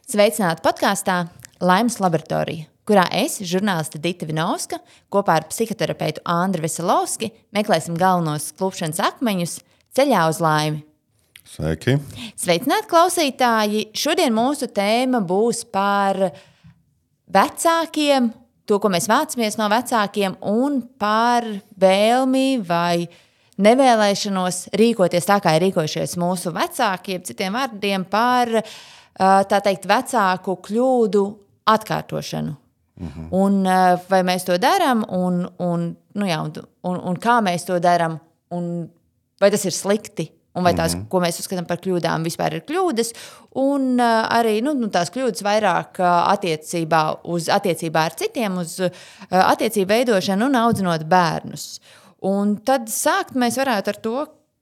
Sveicināti podkāstā Laimes laboratorija, kurā es, žurnāliste Dita Vinovska, kopā ar psihoterapeitu Andru Veselovski meklēsim galvenos klupšanas akmeņus ceļā uz laimi. Sveiki! Sveicināti klausītāji! Šodien mūsu tēma būs par vecākiem, to, ko mēs vācamies no vecākiem, un par vēlmi vai nevēlēšanos rīkoties tā, kā ir rīkojušies mūsu vecāki, citiem vārdiem par tā teikt, vecāku kļūdu atkārtošanu. Un vai mēs to darām, un kā mēs to darām, un vai tas ir slikti, un vai tās, ko mēs uzskatām par kļūdām, vispār ir kļūdas, un arī tās kļūdas vairāk attiecībā ar citiem, uz attiecību veidošanu un audzinot bērnus. Un tad sākt mēs varētu ar to,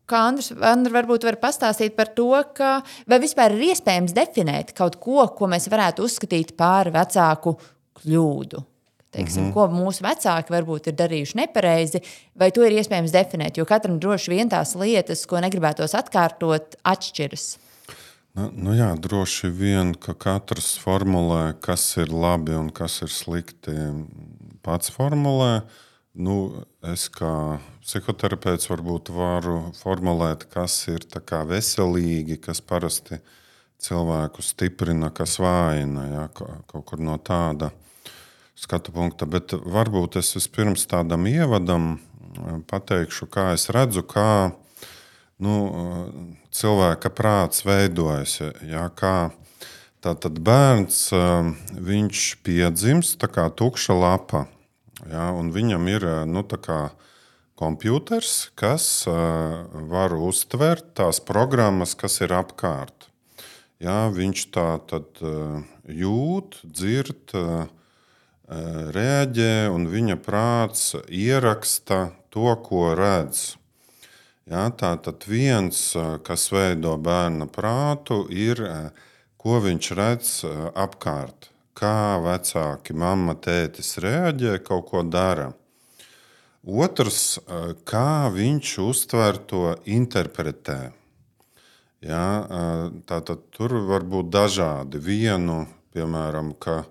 kā Andra varbūt var pastāstīt par to, ka vai vispār ir iespējams definēt kaut ko, ko mēs varētu uzskatīt par vecāku kļūdu. Teiksim, ko mūsu vecāki varbūt ir darījuši nepareizi, vai to ir iespējams definēt, jo katram droši vien tās lietas, ko negribētos atkārtot, atšķiras. Jā, droši vien, ka katrs formulē, kas ir labi un kas ir slikti, pats formulē. Es kā psihoterapeits varbūt varu formulēt, kas ir tā kā veselīgi, kas parasti cilvēku stiprina, kas vājina, ja, kaut kur no tāda skatu punkta. Bet varbūt es vispirms tādam ievadam pateikšu, kā es redzu, kā cilvēka prāts veidojas. Ja, kā tātad bērns, viņš piedzimst tā kā tukša lapa. Ja, un viņam ir kompjuters, kas var uztvert tās programmas, kas ir apkārt. Ja, viņš tā tad jūt, dzird, reaģē, un viņa prāts ieraksta to, ko redz. Ja, tā tad viens, kas veido bērna prātu, ir, ko viņš redz apkārt. Kā vecāki, mamma, tētis reaģē, kaut ko dara. Otrs, kā viņš uztver to interpretē. Ja, tātad tur var būt dažādi. Vienu, piemēram, ka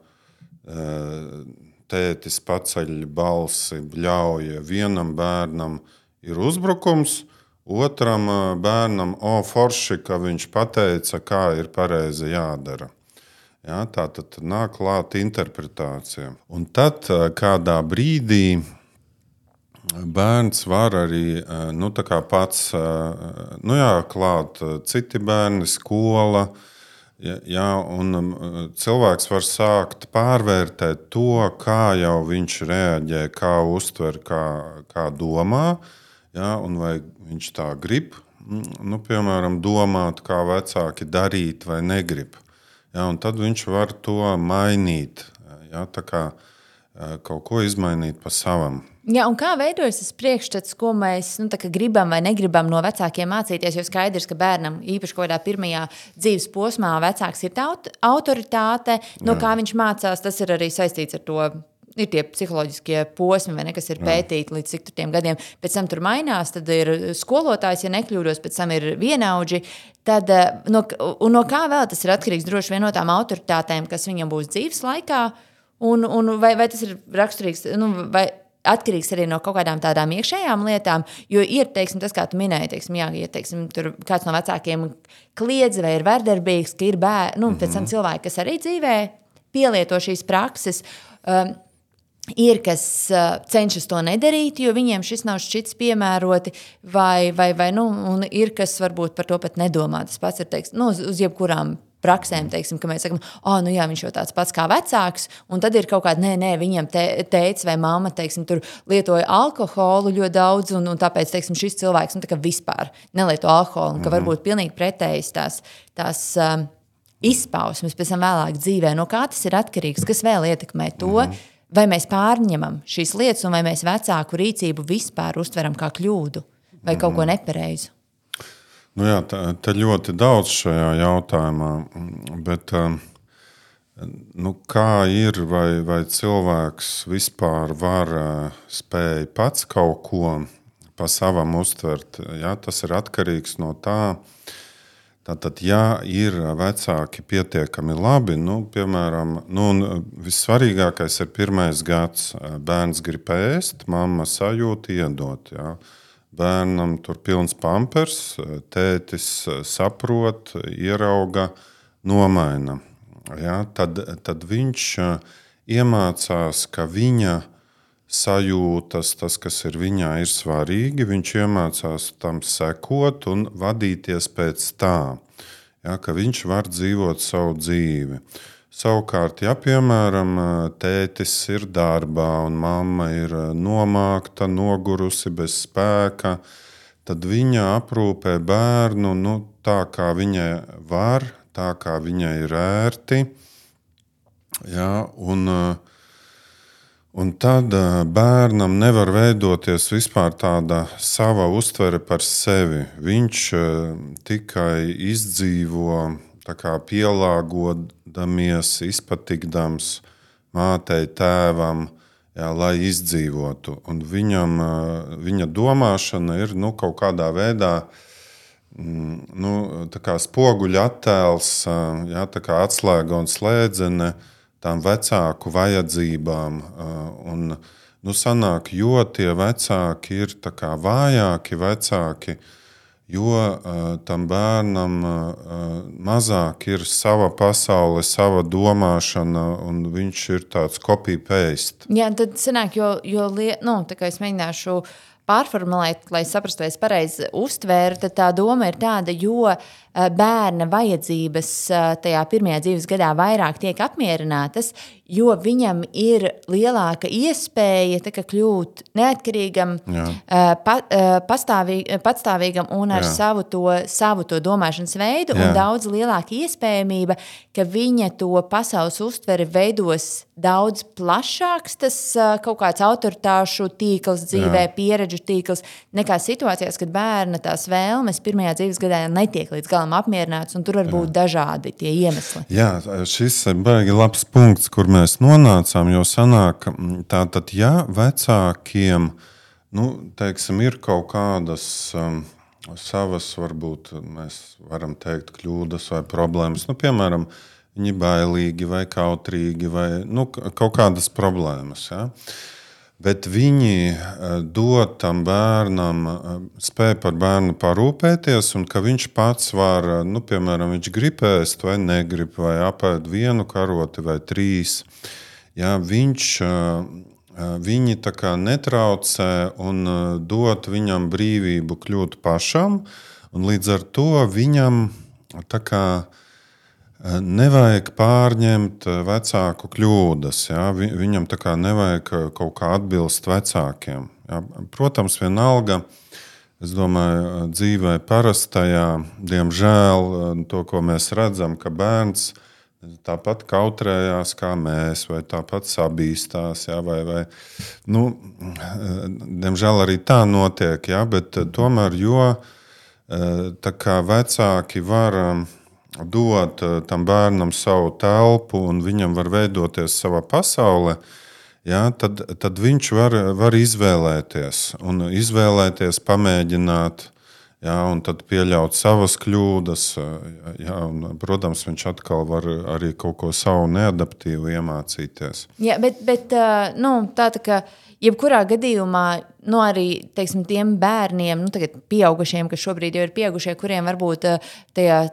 tētis paceļ balsi, bļauja. Vienam bērnam ir uzbrukums, otram bērnam, forši, ka viņš pateica, kā ir pareizi jādara. Ja, tā tad nāk klāt interpretācija. Un tad kādā brīdī bērns var arī pats klāt citi bērni, skola. Ja, un cilvēks var sākt pārvērtēt to, kā jau viņš reaģē, kā uztver, kā domā. Ja, un vai viņš tā grib, piemēram, domāt, kā vecāki darīt vai negrib. Ja, un tad viņš var to mainīt, ja, tā kā kaut ko izmainīt pa savam. Ja, un kā veidojas tas priekšstats, ko mēs gribam vai negribam no vecākiem mācīties, jo skaidrs, ka bērnam īpaši kaut kādā pirmajā dzīves posmā vecāks ir tā autoritāte, no kā viņš mācās, tas ir arī saistīts ar to. Ir tie psiholoģiskie posmi, vai ne, kas ir pētīti līdz cik tiem gadiem. Pēc tam tur mainās, tad ir skolotājs, ja nekļūdos, pēc tam ir vienaudži. Tad, no kā vēl tas ir atkarīgs droši vien no tām autoritātēm, kas viņam būs dzīves laikā, un vai tas ir raksturīgs, vai atkarīgs arī no kaut kādām tādām iekšējām lietām, jo ir, teiksim, tas, kā tu minēji, teiksim, ja, teiksim, tur kāds no vecākiem kliedz vai ir vardarbīgs, ka ir pēc tam cilvēki, kas arī dzīvē pielieto šīs prakses, ir, kas cenšas to nedarīt, jo viņiem šis nav šķits piemēroti, vai un ir, kas varbūt par to pat nedomā. Tas pats ir, teiksim, uz jebkurām praksēm, teiksim, ka mēs sakam, jā, viņš jau tāds pats kā vecāks, un tad ir kaut kāda, viņam tētis vai mamma, teiksim, tur lietoja alkoholu ļoti daudz, un tāpēc, teiksim, šis cilvēks, tā kā vispār nelieto alkoholu, un ka varbūt pilnīgi pretējas tās izpausmes pēc tam vēlāk dzīvē. No kā tas ir atkarīgs? Kas vēl ietekmē to? Vai mēs pārņemam šīs lietas, un vai mēs vecāku rīcību vispār uztveram kā kļūdu vai kaut ko nepareizu? Jā, tā ļoti daudz šajā jautājumā, bet kā ir, vai cilvēks vispār var spēj pats kaut ko pa savam uztvert. Ja, tas ir atkarīgs no tā. Tātad, ja ir vecāki pietiekami labi, piemēram, vissvarīgākais ir 1. gads. Bērns grib ēst, mamma sajūt, iedot. Ja. Bērnam tur pilns pampers, tētis saprot, ierauga, nomaina. Ja. Tad viņš iemācās, ka viņa sajūtas, tas, kas ir viņā, ir svarīgi. Viņš iemācās tam sekot un vadīties pēc tā, ja, ka viņš var dzīvot savu dzīvi. Savukārt, ja, piemēram, tētis ir darbā un mamma ir nomākta, nogurusi, bez spēka, tad viņa aprūpē bērnu tā, kā viņai var, tā, kā viņai ir ērti. Ja, un tad bērnam nevar veidoties vispār tāda sava uztvere par sevi. Viņš tikai izdzīvo, tā kā pielāgodamies, izpatikdams mātei, tēvam, jā, lai izdzīvotu. Un viņa domāšana ir kaut kādā veidā tā kā spoguļa attēls, jā, tā kā atslēga un slēdzene tām vecāku vajadzībām. Sanāk, jo tie vecāki ir tā kā vājāki vecāki, jo tam bērnam mazāk ir sava pasaule, sava domāšana, un viņš ir tāds copy-paste. Jā, tad sanāk, tā kā es mēģināšu pārformulēt, lai saprastu, vai es pareizi uztvēru, tad tā doma ir tāda, jo bērna vajadzības tajā 1. dzīves gadā vairāk tiek apmierinātas, jo viņam ir lielāka iespēja kļūt neatkarīgam, patstāvīgam un ar savu to domāšanas veidu, un daudz lielāka iespējamība, ka viņa to pasaules uztveri veidos daudz plašāks, tas kaut kāds autoritāšu tīkls dzīvē, pieredžu tīkls, nekā situācijās, kad bērna tās vēlmes 1. dzīves gadā netiek līdz galam apmierināts, un tur var būt dažādi tie iemesli. Jā, šis ir baigi labs punkts, kur mēs nonācām, jo sanāk, tātad, ja vecākiem, teiksim, ir kaut kādas savas, varbūt mēs varam teikt, kļūdas vai problēmas, piemēram, viņi bailīgi vai kautrīgi vai kaut kādas problēmas, ja? Bet viņi dod tam bērnam, spēj par bērnu parūpēties, un ka viņš pats var, piemēram, viņš grib ēst vai negrib, vai apēd 1 karoti vai 3. Ja, viņi tā kā netraucē un dod viņam brīvību kļūt pašam, un līdz ar to viņam tā kā nevajag pārņemt vecāku kļūdas. Ja? Viņam tā kā nevajag kaut kā atbilst vecākiem. Ja? Protams, vienalga, es domāju, dzīvē parastajā, diemžēl, to, ko mēs redzam, ka bērns tāpat kautrējās kā mēs, vai tāpat sabīstās, ja? vai diemžēl arī tā notiek, ja? Bet tomēr, jo tā kā vecāki var dot tam bērnam savu telpu un viņam var veidoties sava pasaule, ja, tad viņš var izvēlēties un pamēģināt, ja, un tad pieļaut savas kļūdas. Ja, un, protams, viņš atkal var arī kaut ko savu neadaptīvu iemācīties. Jā, bet tā kā jebkurā gadījumā, arī teiksim, tiem bērniem, tagad pieaugušiem, kas šobrīd jau ir pieaugušie, kuriem varbūt tajā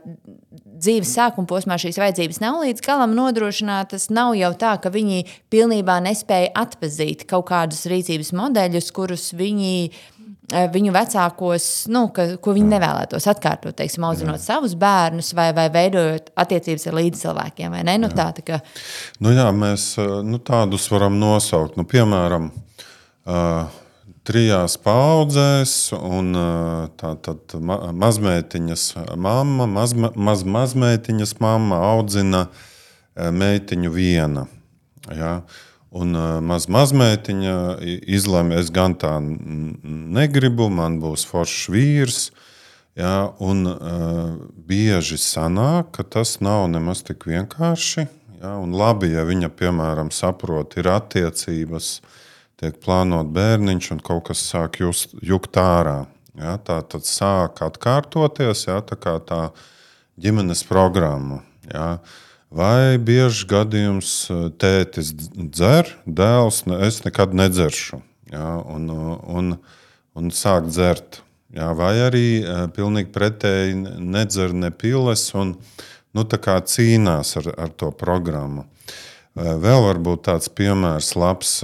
dzīves sākuma posmā šīs vajadzības nav līdz galam nodrošinātas, nav jau tā, ka viņi pilnībā nespēja atpazīt kaut kādus rīcības modeļus, kurus viņu vecākos, ko viņi nevēlētos atkārtot, teiksim, audzinot savus bērnus vai veidojot attiecības ar līdzcilvēkiem, vai ne? Tā kā... mēs tādus varam nosaukt. Piemēram, 3 paudzēs, un tātad mazmeitiņas mamma, mazmeitiņas mamma audzina meitiņu viena. Ja? Un mazmeitiņa izlemj, es gan tā negribu, man būs foršs vīrs. Ja? Un bieži sanāk, ka tas nav nemaz tik vienkārši. Ja? Un labi, ja viņa, piemēram, saprot, ir attiecības, tiek plānot bērniņš un kaut kas sāk jukt ārā. Ja, tā tad sāk atkārtoties, ja, tā kā tā ģimenes programma. Ja. Vai bieži gadījums tētis dzer, dēls es nekad nedzeršu, ja, un sāk dzert. Ja, vai arī pilnīgi pretēji nedzer ne piles un tā kā cīnās ar to programmu. Vēl varbūt tāds piemērs labs,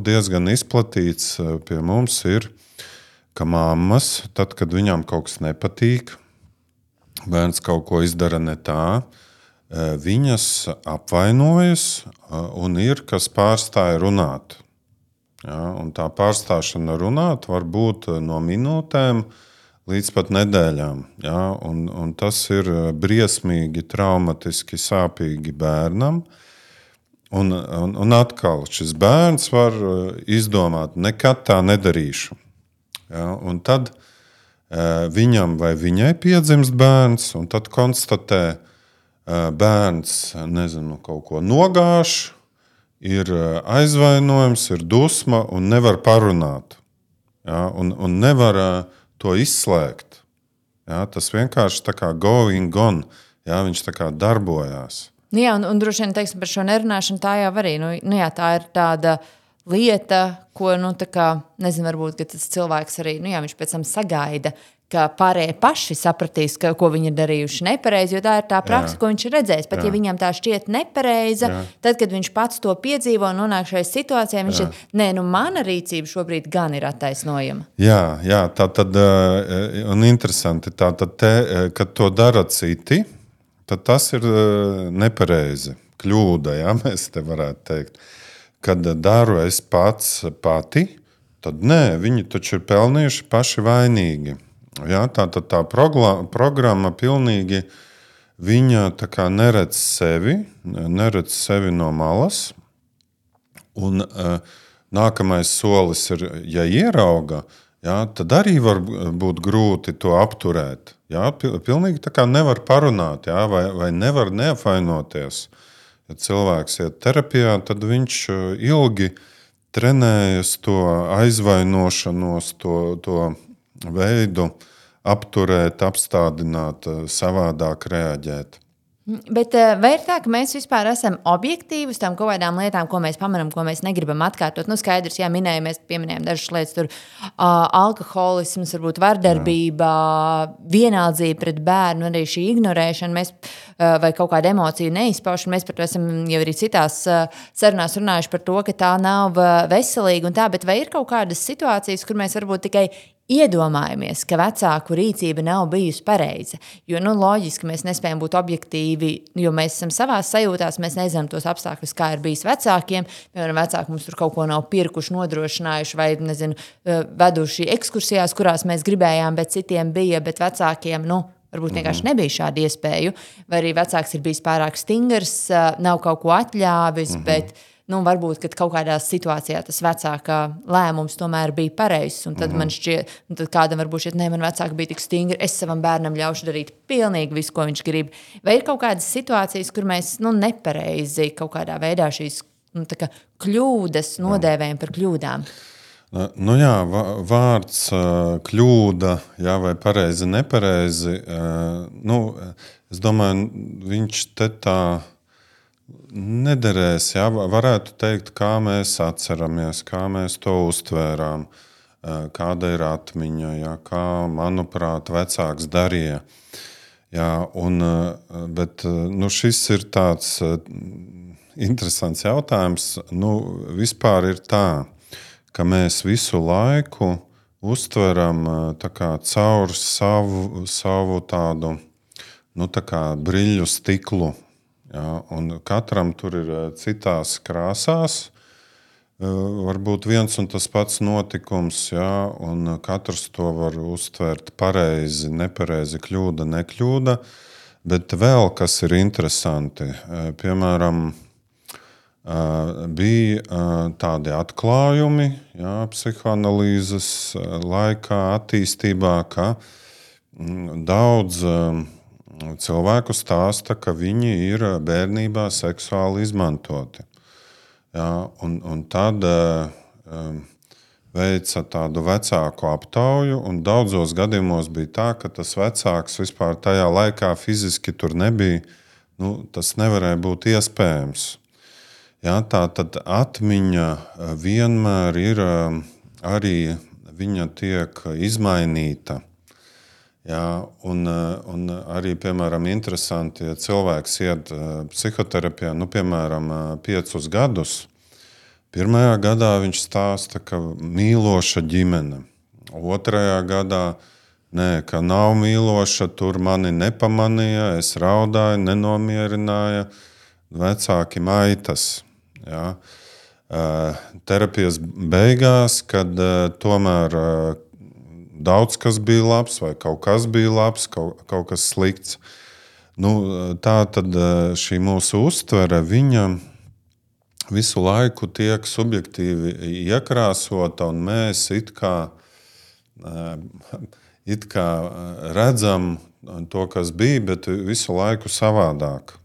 diezgan izplatīts pie mums ir, ka mammas, tad, kad viņām kaut kas nepatīk, bērns kaut ko izdara ne tā, viņas apvainojas un ir, kas pārstāja runāt. Ja, un tā pārstāšana runāt var būt no minūtēm līdz pat nedēļām. Ja, un tas ir briesmīgi, traumatiski, sāpīgi bērnam. Un atkal šis bērns var izdomāt, nekad tā nedarīšu. Ja, un tad viņam vai viņai piedzimst bērns, un tad konstatē, bērns kaut ko nogāž, ir aizvainojums, ir dusma un nevar parunāt. Ja, un nevar to izslēgt. Ja, tas vienkārši tā kā going on. Ja, viņš tā kā darbojās. Jā, un droši vien, teiksim, par šo nerunāšanu tā jau arī. Tā ir tāda lieta, ko, tā kā, nezinu, varbūt, ka tas cilvēks arī, viņš pēc tam sagaida, ka pārējie paši sapratīs, ko viņi ir darījuši nepareizi, jo tā ir tā praksa, ko viņš ir redzējis. Pat ja viņam tā šķiet nepareiza, tad, kad viņš pats to piedzīvo un nonāk šajā situācijā, viņš ir, mana rīcība šobrīd gan ir attaisnojama. Jā, tā tad, un interesanti, tā tad, kad to dara citi, tad tas ir nepareizi, kļūda, ja, mēs te varētu teikt. Kad daru es pati, tad nē, viņi taču ir pelnījuši paši vainīgi. Ja, tā programma pilnīgi viņa tā kā neredz sevi no malas. Un nākamais solis ir, ja ierauga, ja, tad arī var būt grūti to apturēt. Ja, pilnīgi tā kā nevar parunāt, ja, vai nevar neapvainoties. Ja cilvēks iet terapijā, tad viņš ilgi trenējas to aizvainošanos, to veidu apturēt, apstādināt, savādāk reaģēt. Bet vai ir tā, ka mēs vispār esam objektīvi uz tām kaut kādām lietām, ko mēs pamanām, ko mēs negribam atkārtot? Skaidrs, jā, mēs pieminējām dažas lietas, tur alkoholisms, varbūt vardarbība, vienaldzība pret bērnu, arī šī ignorēšana, mēs, vai kaut kāda emocija neizpaušana. Mēs par to esam jau arī citās sarunās runājuši par to, ka tā nav veselīga un tā, bet vai ir kaut kādas situācijas, kur mēs varbūt tikai iedomājamies, ka vecāku rīcība nav bijusi pareiza. Jo loģiski mēs nespējam būt objektīvi, jo mēs esam savās sajūtās, mēs nezinām tos apstākļus, kā ir bijis vecākiem. Piemēram, vecāki mums tur kaut ko nav pirkuši, nodrošinājuši vai, veduši ekskursijās, kurās mēs gribējām, bet citiem bija, bet vecākiem, varbūt vienkārši nebija šāda iespēja. Vai arī vecāks ir bijis pārāk stingrs, nav kaut ko atļāvis, bet varbūt, kad kaut kādā situācijā tas vecāka lēmums tomēr bija pareizs, un tad man šķiet, tad kādam varbūt šķiet, man vecāki bija tik stingri, es savam bērnam ļaušu darīt pilnīgi visu, ko viņš grib. Vai ir kaut kādas situācijas, kur mēs, nepareizi kaut kādā veidā šīs, kļūdas nodēvējam par kļūdām? Jā, vārds kļūda, jā, vai pareizi, nepareizi, es domāju, viņš te tā nederēs, jā, varētu teikt, kā mēs atceramies, kā mēs to uztvērām, kāda ir atmiņa, jā, kā, manuprāt, vecāks darīja. Jā, bet šis ir tāds interesants jautājums. Vispār ir tā, ka mēs visu laiku uztveram tā kā caur savu tādu tā kā briļu stiklu. Ja, un katram tur ir citās krāsās, varbūt viens un tas pats notikums, ja, un katrs to var uztvert pareizi, nepareizi, kļūda, nekļūda, bet vēl kas ir interesanti, piemēram, bija tādi atklājumi, ja, psihoanalīzes laikā, attīstībā, ka daudz cilvēku stāsta, ka viņi ir bērnībā seksuāli izmantoti. Ja, un tad veica tādu vecāku aptauju, un daudzos gadījumos bija tā, ka tas vecāks vispār tajā laikā fiziski tur nebija. Tas nevarēja būt iespējams. Ja, tā tad atmiņa vienmēr ir arī viņa tiek izmainīta. Ja, un arī, piemēram, interesanti, ja cilvēks iet psihoterapijā, piemēram, 5 gadus, pirmajā gadā viņš stāsta, ka mīloša ģimene. 2. gadā ka nav mīloša, tur mani nepamanīja, es raudāju, nenomierināja, vecāki maitas. Ja. Terapijas beigās, kad tomēr daudz kas bija labs vai kaut kas bija labs, kaut kas slikts. Tā tad šī mūsu uztvere, viņa visu laiku tiek subjektīvi iekrāsota, un mēs it kā redzam to, kas bija, bet visu laiku savādāk.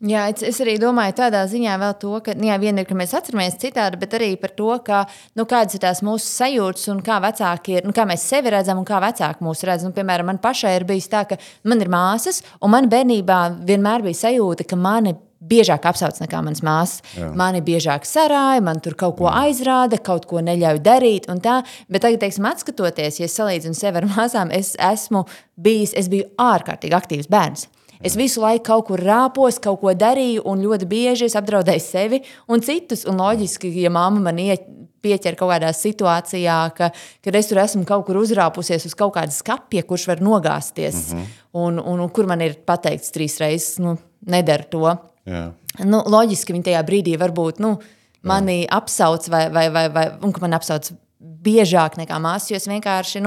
Jā, es arī domāju tādā ziņā vēl to, ka viena ir, ka mēs atceramies citādi, bet arī par to, ka, kādas ir tās mūsu sajūtas un kā vecāki ir, kā mēs sevi redzam un kā vecāki mūs redz. Piemēram, man pašai ir bijis tā, ka man ir māsas, un man bērnībā vienmēr bija sajūta, ka mani biežāk apsauc nekā manas māsas. Jā. Mani biežāk sarāja, man tur kaut ko aizrāda, kaut ko neļauj darīt un tā. Bet tagad, atskatoties, ja es salīdzinu sevi ar māsām, es biju ārkārtīgi aktīvs bērns. Es visu laiku kaut kur rāpos, kaut ko darīju, un ļoti bieži es apdraudēju sevi un citus. Un loģiski, ja mamma man pieķer kaut kādā situācijā, kad es tur esmu kaut kur uzrāpusies uz kaut kāda skapja, kurš var nogāzties, un kur man ir pateikts 3 reizes, nedara to. Jā. Loģiski, ka viņi tajā brīdī varbūt mani apsauc un ka man apsauc biežāk nekā māsas, jo es vienkārši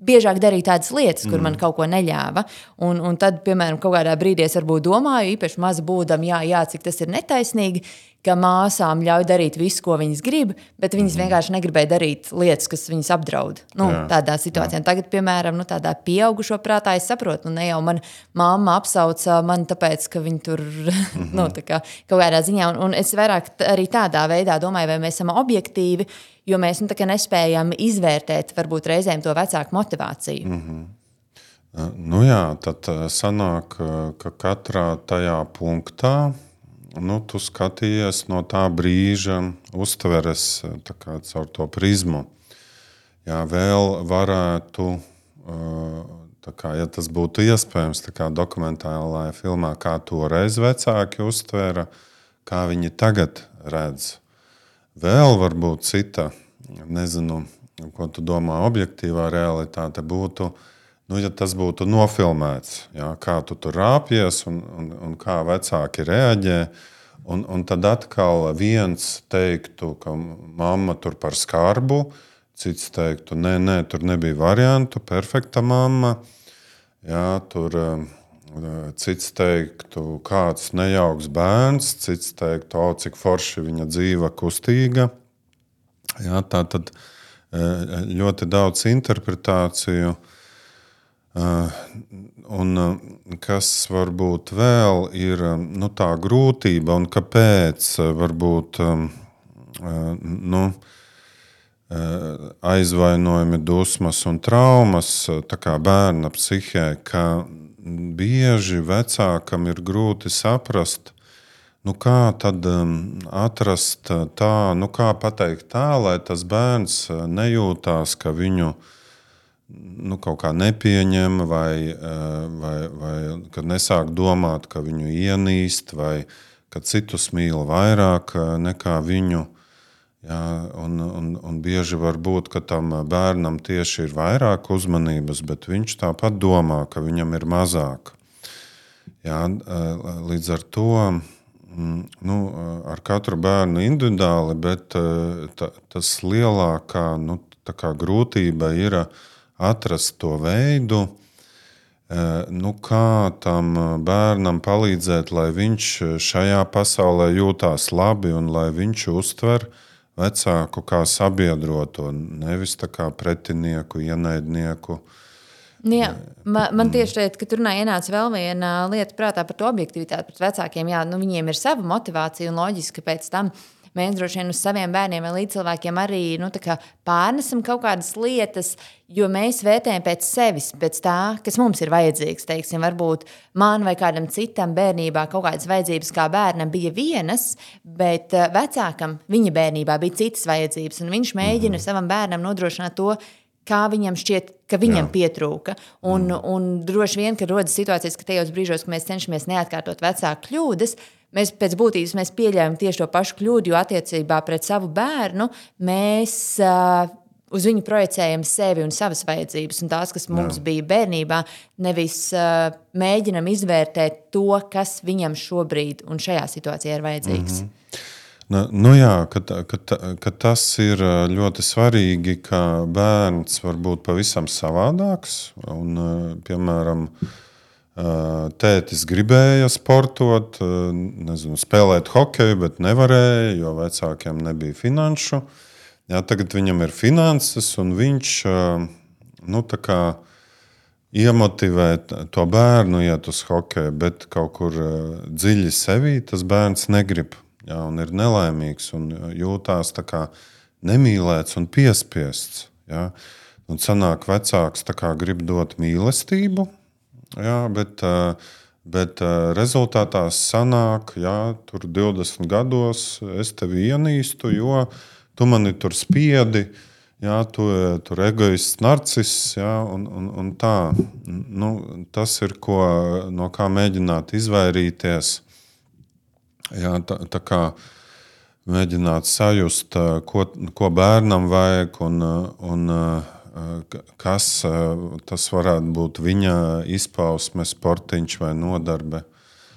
biežāk darīju tādas lietas, kur man kaut ko neļāva. Un tad, piemēram, kaut kādā brīdī es varbūt domāju, īpaši maza būdam, cik tas ir netaisnīgi, ka māsām ļauj darīt visu, ko viņas grib, bet viņas vienkārši negribēja darīt lietas, kas viņas apdraud. Tādā situācijā. Tagad, piemēram, tādā pieaugušo prātā es saprotu, ne jau mana mamma apsauca mani tāpēc, ka viņi tur tā kā kaut kādā ziņā. Un es vairāk arī tādā veidā domāju, vai mēs esam objektīvi, jo mēs tā kā nespējam izvērtēt varbūt reizēm to vecāku motivāciju. Tad sanāk, ka katrā tajā punktā tu skatījies no tā brīža, uztveres caur to prizmu. Jā, vēl varētu, ja tas būtu iespējams, dokumentālajā filmā, kā toreiz vecāki uztvēra, kā viņi tagad redz. Vēl varbūt cita, nezinu, ko tu domā, objektīvā realitāte būtu, ja tas būtu nofilmēts, kā tu tur rāpies un kā vecāki reaģē, un tad atkal viens teiktu, ka mamma tur par skarbu, cits teiktu, nē, tur nebija variantu, perfekta mamma, tur cits teiktu, kāds nejauks bērns, cits teiktu, cik forši viņa dzīva kustīga. Tā tad ļoti daudz interpretāciju. Un kas varbūt vēl ir tā grūtība un kāpēc varbūt aizvainojumi, dusmas un traumas tā kā bērna psihē, ka bieži vecākam ir grūti saprast, kā tad atrast tā, kā pateikt tā, lai tas bērns nejūtās, ka viņu kaut kā nepieņem vai kad nesāk domāt, ka viņu ienīst vai ka citus mīl vairāk nekā viņu. Un bieži var būt, ka tam bērnam tieši ir vairāk uzmanības, bet viņš tāpat domā, ka viņam ir mazāk. Līdz ar to ar katru bērnu individuāli, bet tas lielākā grūtība ir atrast to veidu, kā tam bērnam palīdzēt, lai viņš šajā pasaulē jūtās labi un lai viņš uztver vecāku kā sabiedroto, nevis tā kā pretinieku, ienaidnieku. Man tieši šeit, ka tur ienāca vēl viena lieta prātā par to objektivitāti pret vecākiem. Viņiem ir sava motivācija un loģiski pēc tam mēs droši vien uz saviem bērniem vai līdzcilvēkiem arī pārnesam kaut kādas lietas, jo mēs vērtējam pēc sevis, pēc tā, kas mums ir vajadzīgs. Teiksim, varbūt man vai kādam citam bērnībā kaut kādas vajadzības kā bērnam bija vienas, bet vecākam viņa bērnībā bija citas vajadzības, un viņš mēģina savam bērnam nodrošināt to, kā viņam šķiet, ka viņam pietrūka. Un droši vien, ka rodas situācijas, ka tajos brīžos, ka mēs cenšamies neatkārtot vecāku kļūdas, mēs pēc būtības mēs pieļaujam tieši to pašu kļūdu, jo attiecībā pret savu bērnu mēs uz viņu projicējam sevi un savas vajadzības un tās, kas mums bija bērnībā, nevis mēģinam izvērtēt to, kas viņam šobrīd un šajā situācijā ir vajadzīgs. Ka tas ir ļoti svarīgi, ka bērns var būt pavisam savādāks. Un, piemēram, tētis gribēja sportot, spēlēt hokeju, bet nevarēja, jo vecākiem nebija finanšu. Tagad viņam ir finanses, un viņš iemotivē to bērnu iet uz hokeju, bet kaut kur dziļi sevī tas bērns negrib. Un ir nelaimīgs un jūtās tā kā nemīlēts un piespiests. Un sanāk vecāks tā kā grib dot mīlestību, bet rezultātā sanāk, tur 20 gados es tevi ienīstu, jo tu mani tur spiedi, tu tur egoists, narciss, un tā. Tas ir, no kā mēģināt izvairīties. Tā kā mēģināt sajust, ko bērnam vajag un kas tas varētu būt viņa izpausme, sportiņš vai nodarbe.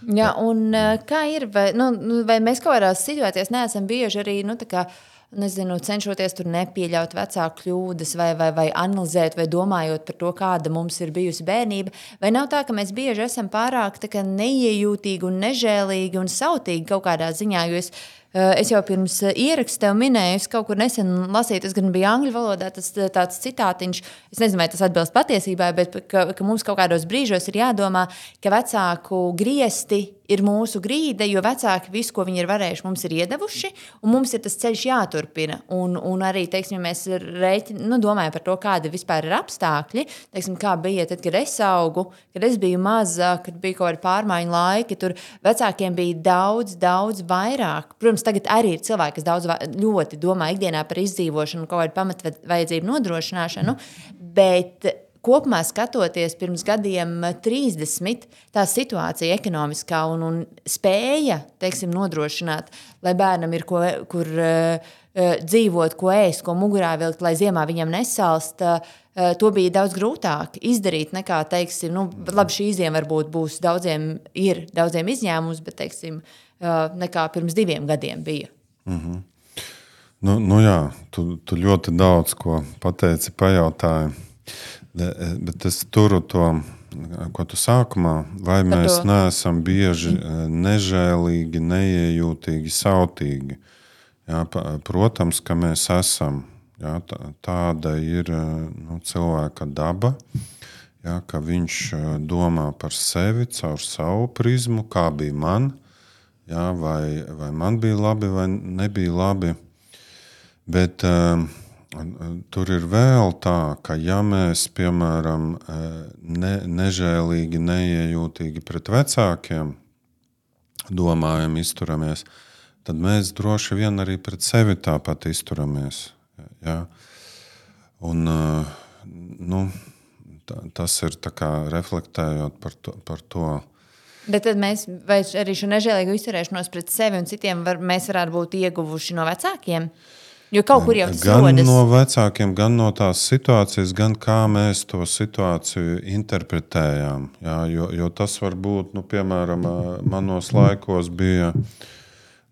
Un kā ir, vai mēs kaut kādās situācijās neesam bieži arī, cenšoties tur nepieļaut vecāku kļūdas vai analizēt vai domājot par to, kāda mums ir bijusi bērnība, vai nav tā, ka mēs bieži esam pārāk neiejūtīgi un nežēlīgi un sautīgi kaut kādā ziņā, jo es jau pirms ieraksta tev minēju, es kaut kur nesen lasīju, tas gan bija angļu valodā, tas tāds citātiņš, es nezinu, vai tas atbilst patiesībai, bet ka mums kaut kādos brīžos ir jādomā, ka vecāku griesti ir mūsu grīde, jo vecāki visu, ko viņi ir varējuši, mums ir iedevuši, un mums ir tas ceļš jāturpina. Un arī, teiksim, mēs domājam par to, kādi vispār ir apstākļi, teiksim, kā bija tad, kad es augu, kad es biju maza, kad bija kaut kādi pārmaiņu laiki, tur vecākiem bija daudz vairāk. Protams, tagad arī ir cilvēki, kas ļoti domā ikdienā par izdzīvošanu, kaut kādu pamatvajadzību nodrošināšanu, bet kopumā skatoties pirms gadiem 30, tā situācija ekonomiskā un spēja, teiksim, nodrošināt, lai bērnam ir kur dzīvot, ko ēst, ko mugurā vilkt, lai ziemā viņam nesalst, to bija daudz grūtāk izdarīt nekā, teiksim, labi, šī ziema varbūt būs daudziem izņēmums, bet, teiksim, nekā pirms 2 gadiem bija. Jā, tu ļoti daudz ko pateici, pajautāji. Bet es turu to, ko tu sākumā, vai mēs neesam bieži nežēlīgi, neiejūtīgi, sautīgi. Protams, ka mēs esam. Tāda ir cilvēka daba, ka viņš domā par sevi caur savu prizmu, kā bija man, vai man bija labi vai nebija labi. Bet tur ir vēl tā, ka ja mēs, piemēram, nežēlīgi, neiejūtīgi pret vecākiem domājam, izturamies, tad mēs droši vien arī pret sevi tāpat izturamies. Un tas ir tā kā reflektējot par to. Bet tad mēs, vai arī šo nežēlīgu izturēšanos pret sevi un citiem mēs varētu būt ieguvuši no vecākiem? Jo kaut kur jau tas rodas. Gan no vecākiem, gan no tās situācijas, gan kā mēs to situāciju interpretējām. Jo tas var būt, piemēram, manos laikos bija,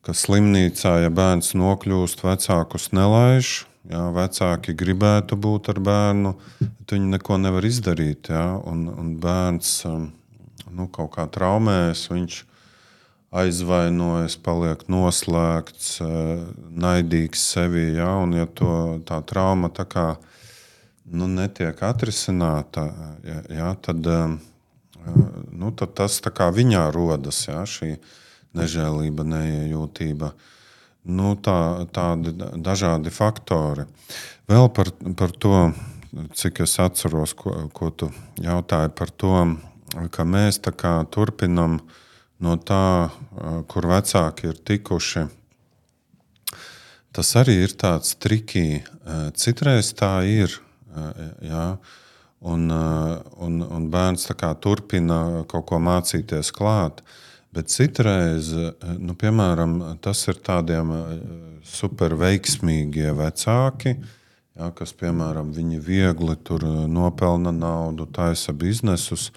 ka slimnīcā, ja bērns nokļūst, vecākus nelaiž. Vecāki gribētu būt ar bērnu, bet viņi neko nevar izdarīt. Un bērns kaut kā traumējas, viņš aizvainojas, paliek noslēgts, naidīgs sevī. Un ja tā trauma tā kā, netiek atrisināta, tad tas tā kā viņā rodas, šī nežēlība, neiejūtība. tādi dažādi faktori. Vēl par to, cik es atceros, ko tu jautāji par to, ka mēs tā kā turpinam no tā, kur vecāki ir tikuši. Tas arī ir tāds trikī. Citreiz tā ir, jā, un bērns tā kā turpina kaut ko mācīties klāt, bet citreiz, piemēram, tas ir tādiem super veiksmīgie vecāki, jā, kas, piemēram, viņi viegli tur nopelna naudu, taisa biznesus,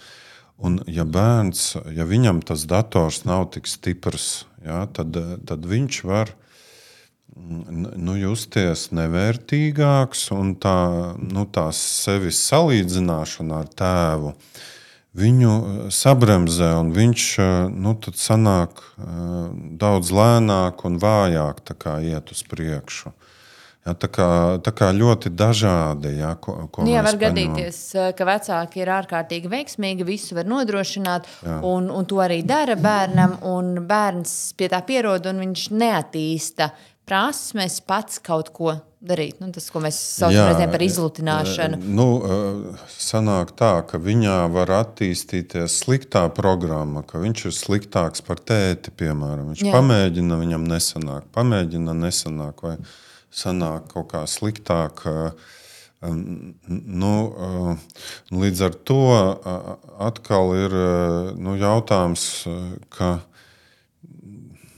un ja viņam tas dators nav tik stiprs, jā, tad viņš var justies nevērtīgāks, un tā sevis salīdzināšana ar tēvu viņu sabremzē, un viņš tad sanāk daudz lēnāk un vājāk tā kā iet uz priekšu. Ja, tā kā ļoti dažādi. Ja, ko jā, mēs var gadīties, ka vecāki ir ārkārtīgi veiksmīgi, visu var nodrošināt, un to arī dara bērnam, un bērns pie tā pierod, un viņš neattīsta prasmes pats kaut ko darīt. Tas, ko mēs saucam par izlutināšanu. Sanāk tā, ka viņā var attīstīties sliktā programma, ka viņš ir sliktāks par tēti, piemēram. Viņš pamēģina, viņam nesanāk, vai sanāk kaut kā sliktāk. Līdz ar to atkal ir jautājums, ka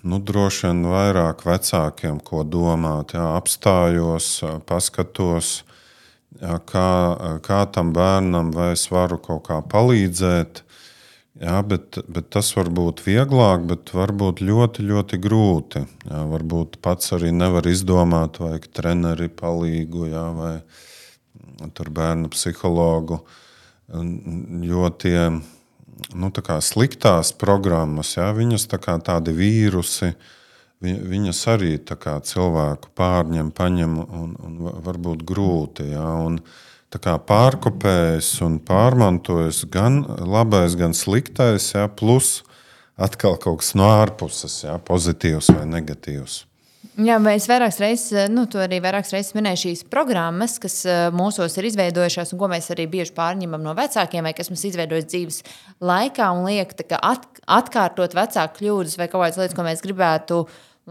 droši vien vairāk vecākiem, ko domāt, apstājos, paskatos, kā tam bērnam, vai es varu kaut kā palīdzēt. Jā, bet tas var būt vieglāk, bet var būt ļoti, ļoti grūti. Jā, varbūt pats arī nevar izdomāt, vajag treneri palīgu, jā, vai tur bērnu psihologu. Jo tie tā kā sliktās programmas, jā, viņas tā kā tādi vīrusi, viņas arī tā kā cilvēku paņem un var būt grūti. Jā, un tā kā pārkopējas un pārmantojas gan labais, gan sliktais, jā, plus atkal kaut kas no ārpuses, jā, pozitīvs vai negatīvs. Jā, es vairākas reizes minēju šīs programmas, kas mūsos ir izveidojušās un ko mēs arī bieži pārņemam no vecākiem vai kas mums izveidojas dzīves laikā un liek atkārtot vecāku kļūdas vai kaut kādas lietas, ko mēs gribētu,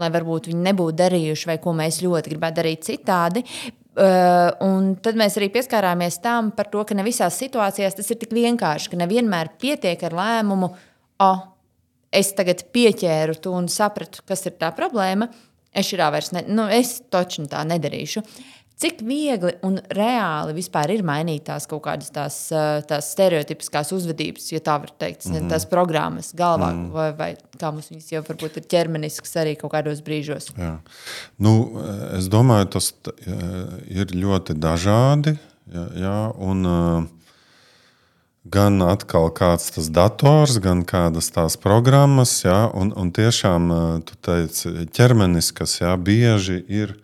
lai varbūt viņi nebūtu darījuši vai ko mēs ļoti gribētu darīt citādi. Un tad mēs arī pieskārāmies tam par to, ka ne visās situācijās tas ir tik vienkārši, ka nevienmēr pietiek ar lēmumu, es tagad pieķēru to un sapratu, kas ir tā problēma, es taču tā nedarīšu. Cik viegli un reāli vispār ir mainīt tās kaut kādas tās stereotipiskās uzvedības, ja tā var teikt, tās programmas galvā, vai kā mums viņas jau varbūt ir ķermenisks arī kaut kādos brīžos? Jā. Es domāju, tas ir ļoti dažādi, jā, un gan atkal kāds tas dators, gan kādas tās programmas, jā, un tiešām, tu teici, ķermeniskas, jā, bieži ir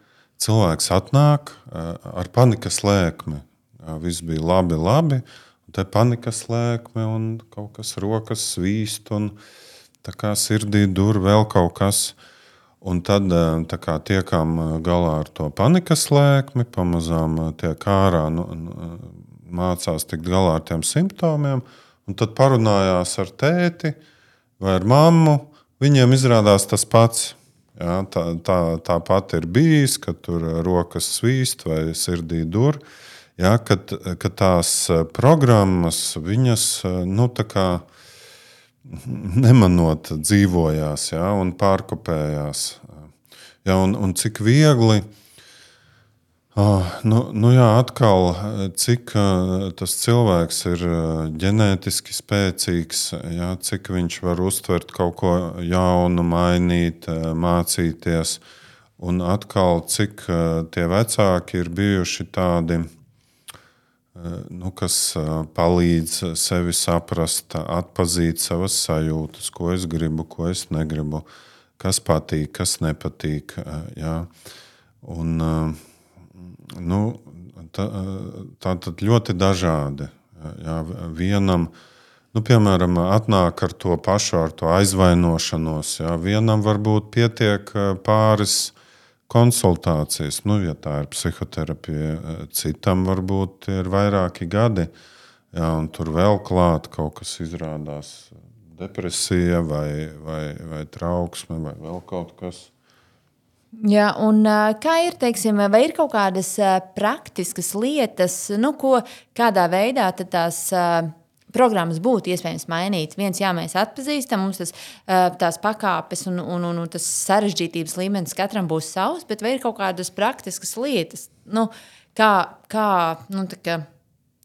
cilvēks atnāk ar panikas lēkmi. Jā, viss bija labi, un te panikas lēkme un kaut kas rokas svīst un tā kā sirdī dur vēl kaut kas. Un tad tā kā tiekam galā ar to panikas lēkmi, pamazām tiek ārā, mācās tikt galā ar tiem simptomiem, un tad parunājās ar tēti vai ar mammu, viņiem izrādās tas pats. Jā, tā pat ir bijis, ka tur rokas svīst vai sirdī dur. Jā, ka tās programmas, viņas tā kā nemanot dzīvojās, jā, un pārkopējās. Jā, un cik viegli, jā, atkal, cik tas cilvēks ir ģenētiski spēcīgs, jā, cik viņš var uztvert kaut ko jaunu, mainīt, mācīties, un atkal, cik tie vecāki ir bijuši tādi, kas palīdz sevi saprast, atpazīt savas sajūtas, ko es gribu, ko es negribu, kas patīk, kas nepatīk, jā, un tā tad ļoti dažādi. Jā, vienam, piemēram, atnāk ar to pašu, ar to aizvainošanos. Jā, vienam varbūt pietiek pāris konsultācijas. Ja tā ir psihoterapija, citam varbūt ir vairāki gadi, un tur vēl klāt kaut kas izrādās depresija vai trauksme vai vēl kaut kas. Jā, un kā ir, teiksim, vai ir kaut kādas praktiskas lietas, kādā veidā tad tās programmas būtu iespējams mainīt? Mēs atpazīstam, mums tās pakāpes un tas sarežģītības līmenis katram būs savs, bet vai ir kaut kādas praktiskas lietas,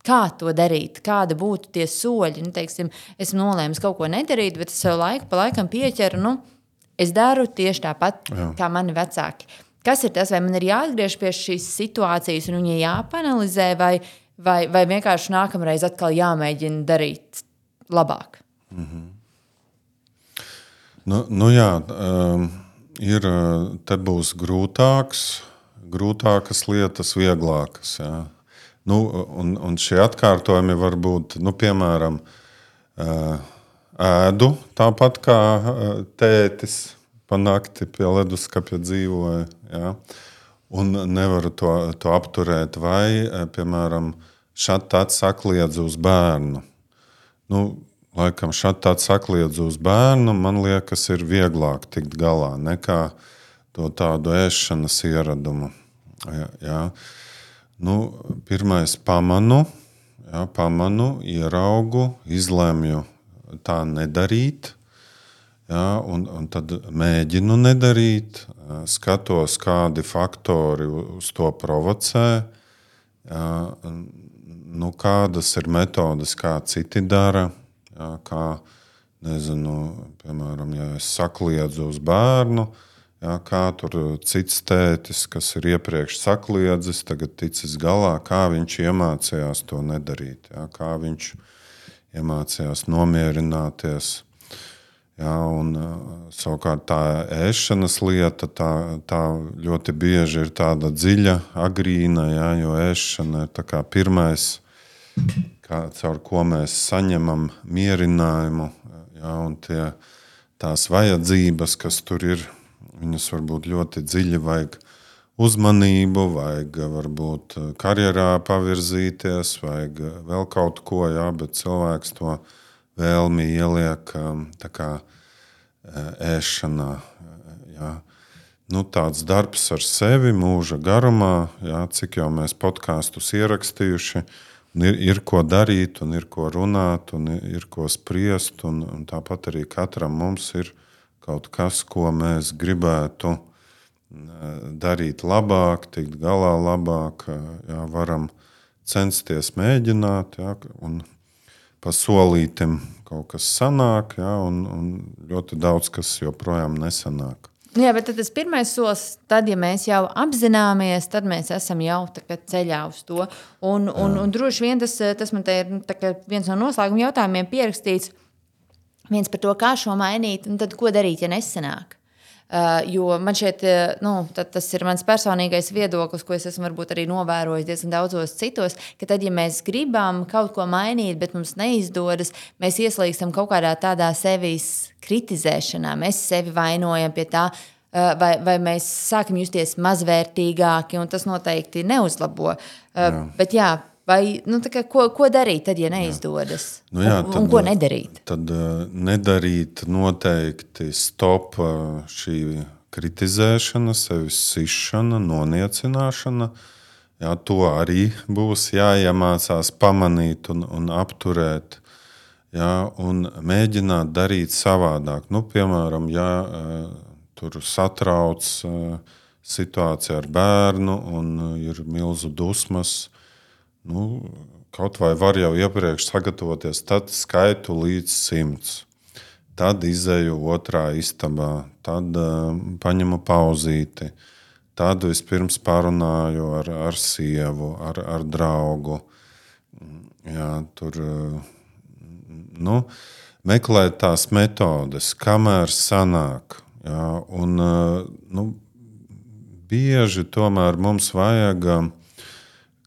kā to darīt, kāda būtu tie soļi? Teiksim, esmu nolēmis kaut ko nedarīt, bet es sev laiku pa laikam pieķeru, es daru tieši tāpat, kā mani vecāki. Kas ir tas, vai man ir jāatgriež pie šīs situācijas un viņa jāpanalizē, vai vienkārši nākamreiz atkal jāmēģina darīt labāk? Te būs grūtākas lietas, vieglākas. Jā. Un šie atkārtojumi var būt, piemēram, ēdu tāpat kā tētis pa nakti pie leduskapja dzīvoja. Ja? Un nevaru to apturēt. Vai, piemēram, šad tad sakliedz uz bērnu. Laikam šad tad sakliedz uz bērnu, man liekas, ir vieglāk tikt galā nekā to tādu ēšanas ieradumu. Ja? Pirmais pamanu, ieraugu, izlemju tā nedarīt, un tad mēģinu nedarīt, skatos, kādi faktori uz to provocē, kādas ir metodes, kā citi dara, kā, piemēram, ja es sakliedzu uz bērnu, kā tur cits tētis, kas ir iepriekš sakliedzis, tagad ticis galā, kā viņš iemācījās to nedarīt, kā viņš iemācījās nomierināties. Un savukārt tā ēšanas lieta, tā ļoti bieži ir tāda dziļa, agrīna, jo ēšana ir tā kā pirmais, caur ko mēs saņemam mierinājumu, un tās vajadzības, kas tur ir, viņas var būt ļoti dziļi, vajag uzmanību, vajag varbūt karjerā pavirzīties, vajag vēl kaut ko, bet cilvēks to vēlmi ieliek tā kā ēšanā. Tāds darbs ar sevi mūža garumā, cik jau mēs podkastus ierakstījuši, ir ko darīt, un ir ko runāt, un ir ko spriest, un tāpat arī katram mums ir kaut kas, ko mēs gribētu darīt labāk, tikt galā labāk, varam censties mēģināt, un pa solītim kaut kas sanāk, un ļoti daudz kas joprojām nesanāk. Jā, bet tas pirmais solis, tad, ja mēs jau apzināmies, tad mēs esam jau ceļā uz to. Un droši vien tas man te ir viens no noslēguma jautājumiem pierakstīts, viens par to, kā šo mainīt, un tad ko darīt, ja nesanāk. Jo man šķiet, tas ir mans personīgais viedoklis, ko es esmu varbūt arī novērojis diezgan daudzos citos, ka tad, ja mēs gribam kaut ko mainīt, bet mums neizdodas, mēs ieslīgstam kaut kādā tādā sevis kritizēšanā, mēs sevi vainojam pie tā, vai mēs sākam justies mazvērtīgāki, un tas noteikti neuzlabo. Bet ko darīt tad, ja neizdodas? Un ko nedarīt? Tad nedarīt noteikti stop šī kritizēšana, sevis sišana, noniecināšana. To arī būs jāiemācās pamanīt un apturēt. Un mēģināt darīt savādāk. Piemēram, ja tur satrauc situācija ar bērnu un ir milzu dusmas, kaut vai var jau iepriekš sagatavoties, tad skaitu līdz 100. Tad izeju otrā istabā, tad paņemu pauzīti, tad vispirms parunāju ar sievu, ar draugu. Tur meklēt tās metodes, kamēr sanāk. Bieži tomēr mums vajag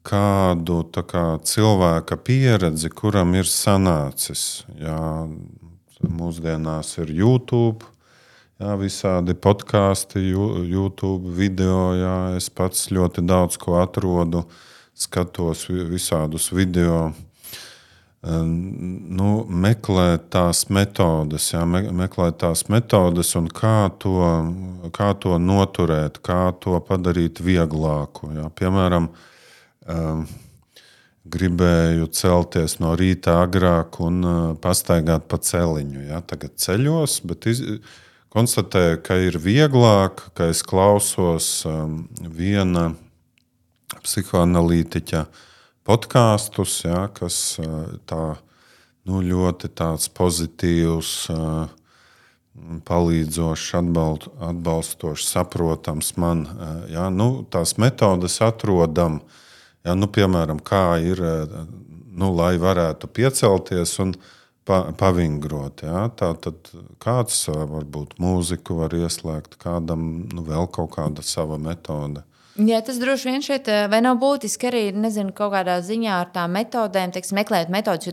kādu cilvēka pieredzi, kuram ir sanācis. Mūsdienās ir YouTube, jā, visādi podkāsti, YouTube video, jā, es pats ļoti daudz ko atrodu, skatos visādus video. Meklēt tās metodes, un kā to noturēt, kā to padarīt vieglāku. Jā. Piemēram, gribēju celties no rīta agrāk un pastaigāt pa celiņu. Jā. Tagad ceļos, bet konstatēju, ka ir vieglāk, ka es klausos viena psihoanalītiķa podkāstus, ja, kas tā, ļoti tāds pozitīvs, palīdzošs, atbalstošs, saprotams man. Ja, tās metodes atrodam, ja, piemēram, kā ir, lai varētu piecelties un pavingrot. Ja. Tātad kāds varbūt mūziku var ieslēgt, kādam vēl kaut kāda sava metode. Jā, tas droši vien šeit vai nav būtiski arī, nezinu, kaut kādā ziņā ar tām metodēm, meklēt metodas, jo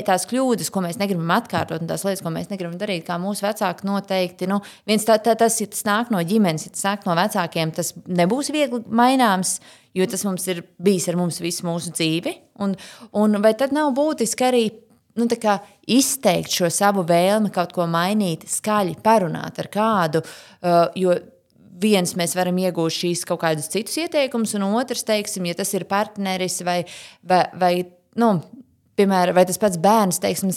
tās kļūdas, ko mēs negribam atkārtot, un tās lietas, ko mēs negribam darīt, kā mūsu vecāki noteikti, viens tas, ja tas nāk no ģimenes, ja tas nāk no vecākiem, tas nebūs viegli maināms, jo tas mums ir bijis ar mums visu mūsu dzīvi, un vai tad nav būtiski arī izteikt šo savu vēlmi kaut ko mainīt, skaļi parunāt ar kādu, jo viens mēs varam iegūt šīs kaut kādus citus ieteikumus, un otrs, teiksim, ja tas ir partneris vai piemēram, vai tas pats bērns, teiksim,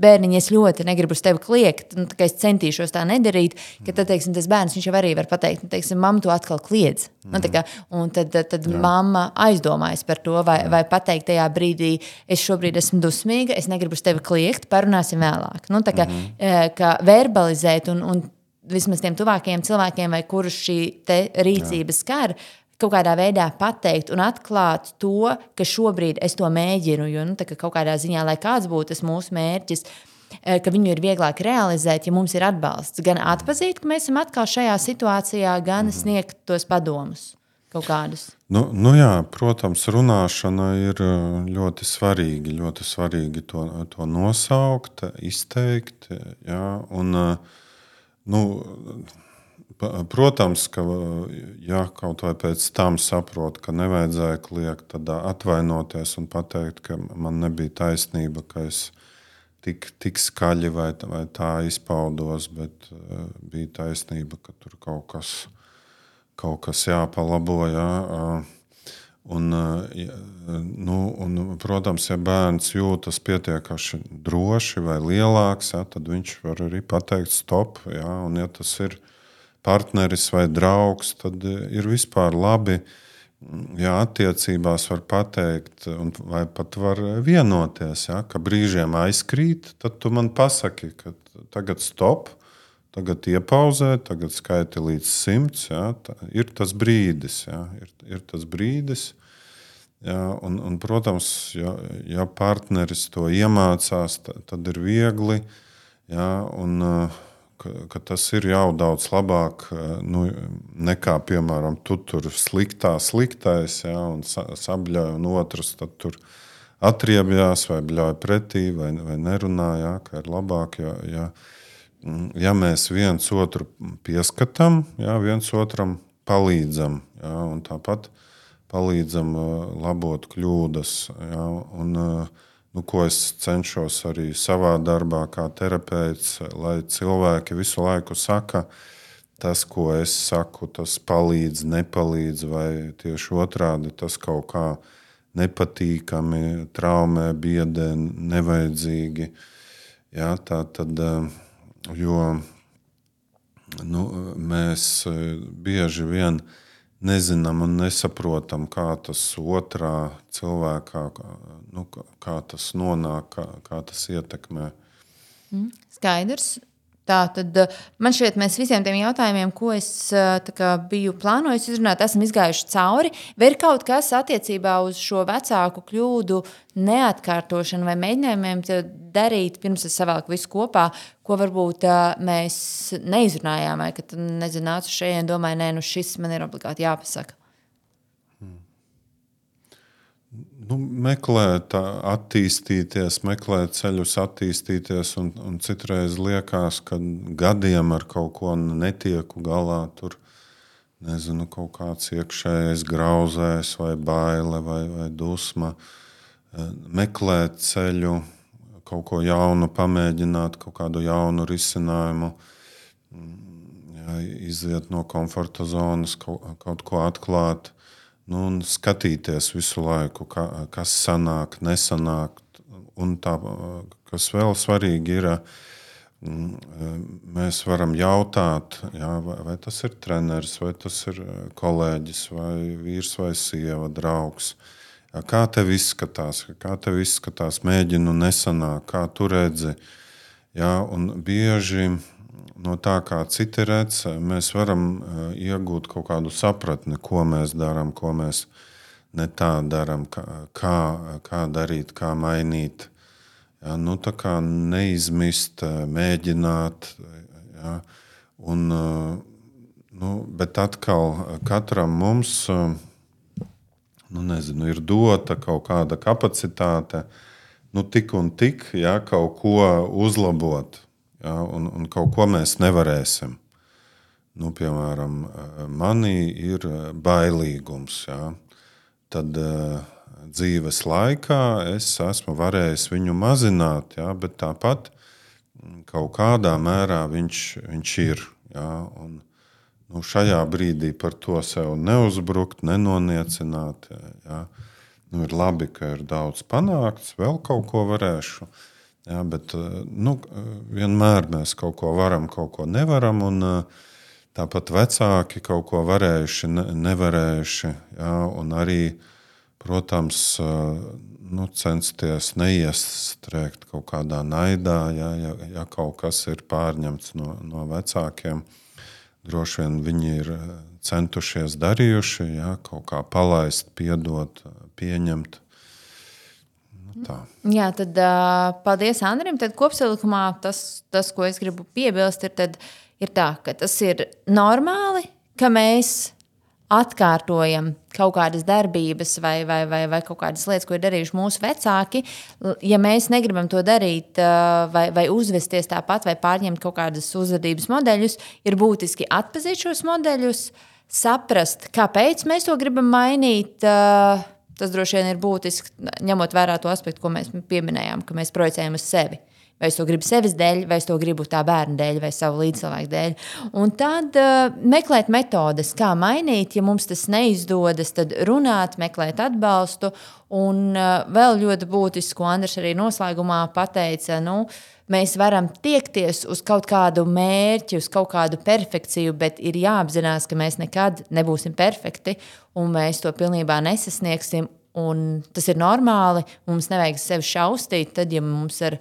bērniņ, es ļoti negribu uz tevi kliegt, es centīšos tā nedarīt, ka tad, teiksim, tas bērns, viņš jau arī var pateikt, teiksim, mamma, tu atkal kliedz. Un tad mamma aizdomājas par to, vai pateikt tajā brīdī, es šobrīd esmu dusmīga, es negribu uz tevi kliegt, parunāsim vēlāk. Ka verbalizēt un vismaz tiem tuvākajiem cilvēkiem, vai kurus šī rīcība skar, kaut kādā veidā pateikt un atklāt to, ka šobrīd es to mēģinu, jo kaut kādā ziņā, lai kāds būtu tas mūsu mērķis, ka viņu ir vieglāk realizēt, ja mums ir atbalsts. Gan atpazīt, ka mēs esam atkal šajā situācijā, gan sniegt tos padomus kaut kādus. Jā, protams, runāšana ir ļoti svarīgi to nosaukt, izteikt, jā, un protams, ka ja kaut vai pēc tam saprot, ka nevajadzēja kliegt, tad atvainoties un pateikt, ka man nebija taisnība, ka es tik skaļi vai tā izpaudos, bet bija taisnība, ka tur kaut kas jāpalabo. Jā. Un, protams, ja bērns jūtas pietiekami droši vai lielāks, ja, tad viņš var arī pateikt stop. Ja, un, ja tas ir partneris vai draugs, tad ir vispār labi, ja attiecībās var pateikt, vai pat var vienoties, ja, ka brīžiem aizkrīt, tad tu man pasaki, ka tagad stop, tagad iepauzē, tagad skaiti līdz 100. Ja, ir tas brīdis. Ja, ir tas brīdis. Ja, un, protams, ja partneris to iemācās, tad ir viegli, ja, un ka tas ir jau daudz labāk nekā, piemēram, tu tur sliktais, ja, un sabļauj, un otrs tad tur atriebjās vai bļauj pretī vai nerunā, ja, ka ir labāk, ja mēs viens otru pieskatām, ja, viens otram palīdzam, ja, un tāpat palīdzam labot kļūdas. Ja, un, ko es cenšos arī savā darbā kā terapeits, lai cilvēki visu laiku saka, tas, ko es saku, tas palīdz, nepalīdz, vai tieši otrādi tas kaut kā nepatīkami, traumē, biedē, nevajadzīgi. Ja, tā tad, jo mēs bieži vien nezinām un nesaprotam, kā tas otrā cilvēkā, kā tas nonāk, kā tas ietekmē. Skaidrs. Tā tad man šķiet, mēs visiem tiem jautājumiem, ko es biju plānojis izrunāt, esam izgājuši cauri. Vai ir kaut kas attiecībā uz šo vecāku kļūdu neatkārtošanu vai mēģinājumiem darīt, pirms es savalku visu kopā, ko varbūt mēs neizrunājām, vai kad nācu šeit un domāju, šis man ir obligāti jāpasaka? meklēt, attīstīties, meklēt ceļus, attīstīties. Un citreiz liekas, ka gadiem ar kaut ko netieku galā. Tur, nezinu, kaut kāds iekšējais grauzējs vai baile vai dusma. Meklēt ceļu, kaut ko jaunu pamēģināt, kaut kādu jaunu risinājumu. Iziet no komforta zonas, kaut ko atklāt. Un skatīties visu laiku, kas sanāk, nesanāk. Un tā, kas vēl svarīgi ir, mēs varam jautāt, vai tas ir treneris, vai tas ir kolēģis, vai vīrs, vai sieva, draugs. Kā tev izskatās, mēģinu nesanāk, kā tu redzi. Un bieži no tā, kā citi redz, mēs varam iegūt kaut kādu sapratni, ko mēs darām, ko mēs ne tā darām, kā darīt, kā mainīt. Tā kā neizmist, mēģināt. Bet atkal katram mums ir dota kaut kāda kapacitāte, tik un tik, kaut ko uzlabot. Un kaut ko mēs nevarēsim. Piemēram, manī ir bailīgums. Tad dzīves laikā es esmu varējis viņu mazināt, bet tāpat kaut kādā mērā viņš ir. Un, šajā brīdī par to sev neuzbrukt, nenoniecināt. Ir labi, ka ir daudz panākts, vēl kaut ko varēšu. Bet vienmēr mēs kaut ko varam, kaut ko nevaram. Un tāpat vecāki kaut ko varējuši, nevarējuši. Un arī, protams, censties neiestrēgt kaut kādā naidā, ja kaut kas ir pārņemts no vecākiem. Droši vien viņi ir centušies darījuši, kaut kā palaist, piedot, pieņemt. Tā. Jā, tad paldies Andrim. Tad kopsavilkumā tas, ko es gribu piebilst, ir tā, ka tas ir normāli, ka mēs atkārtojam kaut kādas darbības vai kaut kādas lietas, ko ir darījuši mūsu vecāki. Ja mēs negribam to darīt vai uzvesties tāpat vai pārņemt kaut kādas uzvedības modeļus, ir būtiski atpazīt šos modeļus, saprast, kāpēc mēs to gribam mainīt. Tas droši vien ir būtiski, ņemot vērā to aspektu, ko mēs pieminējām, ka mēs projicējam uz sevi. Vai es to gribu sevis dēļ, vai es to gribu tā bērna dēļ, vai savu līdzcilvēku dēļ. Un tad meklēt metodes, kā mainīt. Ja mums tas neizdodas, tad runāt, meklēt atbalstu. Un vēl ļoti būtiski, ko Andris arī noslēgumā pateica, mēs varam tiekties uz kaut kādu mērķi, uz kaut kādu perfekciju, bet ir jāapzinās, ka mēs nekad nebūsim perfekti un mēs to pilnībā nesasniegsim. Un tas ir normāli, mums nevajag sevi šaustīt, tad, ja mums ar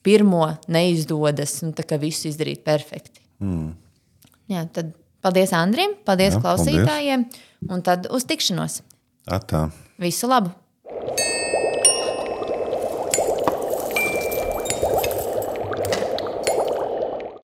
pirmo neizdodas, tā kā visu izdarīt perfekti. Jā, tad paldies Andrim, paldies klausītājiem, un tad uz tikšanos. Atā. Visu labu!